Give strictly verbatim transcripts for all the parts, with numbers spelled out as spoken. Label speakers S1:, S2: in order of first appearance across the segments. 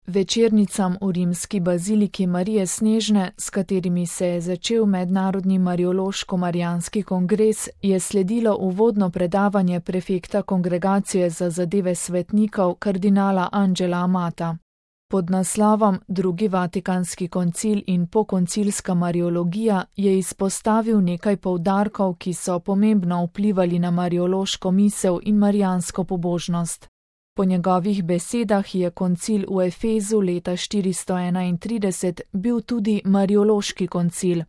S1: Večernicam v rimski baziliki Marije Snežne, s katerimi se je začel mednarodni mariološko-marijanski kongres, je sledilo uvodno predavanje prefekta Kongregacije za zadeve svetnikov kardinala Angela Amata. Pod naslovom Drugi vatikanski koncil in pokoncilska mariologija je izpostavil nekaj poudarkov, ki so pomembno vplivali na mariološko misel in marijansko pobožnost. Po njegovih besedah je koncil v Efezu leta štiristo enaintrideset bil tudi mariološki koncil.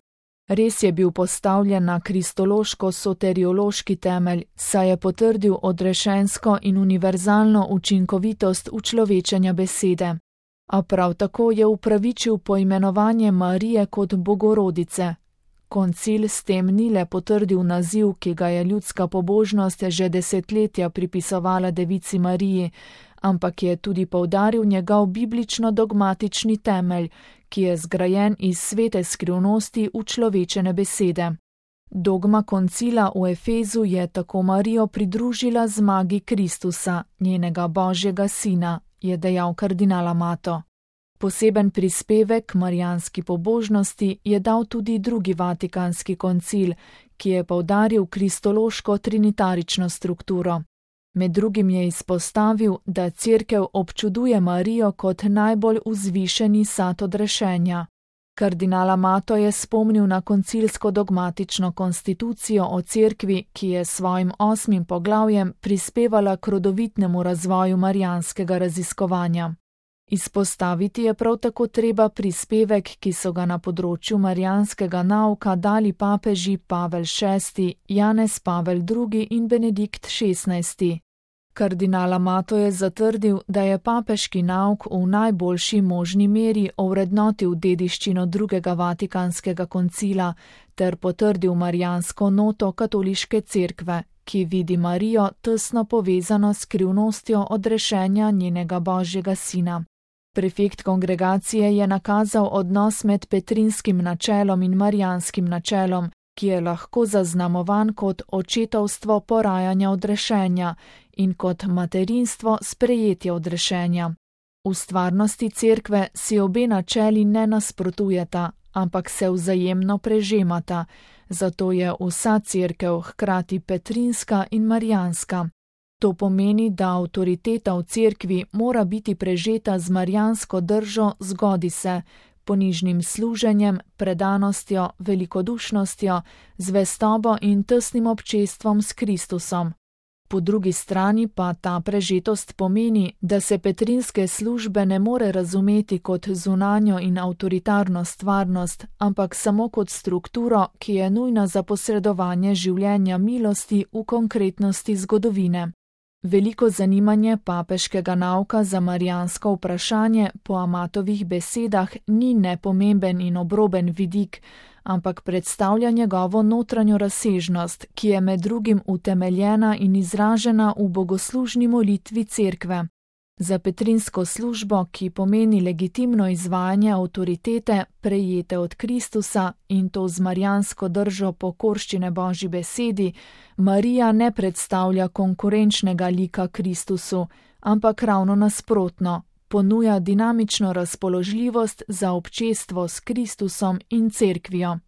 S1: Res je bil postavljen na kristološko-soteriološki temelj, saj je potrdil odrešensko in univerzalno učinkovitost učlovečenja besede. A prav tako je upravičil poimenovanje Marije kot Bogorodice. Koncil s tem ni le potrdil naziv, ki ga je ljudska pobožnost že desetletja pripisovala Devici Mariji, ampak je tudi poudaril njegov biblično-dogmatični temelj, ki je zgrajen iz svete skrivnosti učlovečene besede. Dogma koncila v Efezu je tako Marijo pridružila zmagi Kristusa, njenega Božjega sina, je dejal kardinal Amato. Poseben prispevek marijanski pobožnosti je dal tudi drugi vatikanski koncil, ki je poudaril kristološko trinitarično strukturo. Med drugim je izpostavil, da Cerkev občuduje Marijo kot najbolj vzvišeni sad odrešenja. Kardinal Amato je spomnil na koncilsko dogmatično konstitucijo o Cerkvi, ki je svojim osmim poglavjem prispevala k rodovitnemu razvoju marijanskega raziskovanja. Izpostaviti je prav tako treba prispevek, ki so ga na področju marijanskega nauka dali papeži Pavel šesti, Janez Pavel drugi in Benedikt šestnajsti. Kardinal Amato je zatrdil, da je papeški nauk v najboljši možni meri ovrednotil dediščino drugega vatikanskega koncila ter potrdil marijansko noto katoliške cerkve, ki vidi Marijo tesno povezano s skrivnostjo odrešenja njenega Božjega sina. Prefekt kongregacije je nakazal odnos med petrinskim načelom in marijanskim načelom, ki je lahko zaznamovan kot očetovstvo porajanja odrešenja in kot materinstvo sprejetja odrešenja. V stvarnosti cerkve si obe načeli ne nasprotujeta, ampak se vzajemno prežemata, zato je vsa cerkev hkrati petrinska in marijanska. To pomeni, da avtoriteta v cerkvi mora biti prežeta z marijansko držo zgodi se, ponižnim služenjem, predanostjo, velikodušnostjo, zvestobo in tesnim občestvom s Kristusom. Po drugi strani pa ta prežetost pomeni, da se petrinske službe ne more razumeti kot zunanjo in avtoritarno stvarnost, ampak samo kot strukturo, ki je nujna za posredovanje življenja milosti v konkretnosti zgodovine. Veliko zanimanje papeškega nauka za marijansko vprašanje po Amatovih besedah ni nepomemben in obroben vidik, ampak predstavlja njegovo notranjo razsežnost, ki je med drugim utemeljena in izražena v bogoslužni molitvi cerkve. Za petrinsko službo, ki pomeni legitimno izvajanje avtoritete, prejete od Kristusa in to z marijansko držo pokorščine Božji besedi, Marija ne predstavlja konkurenčnega lika Kristusu, ampak ravno nasprotno, ponuja dinamično razpoložljivost za občestvo s Kristusom in cerkvijo.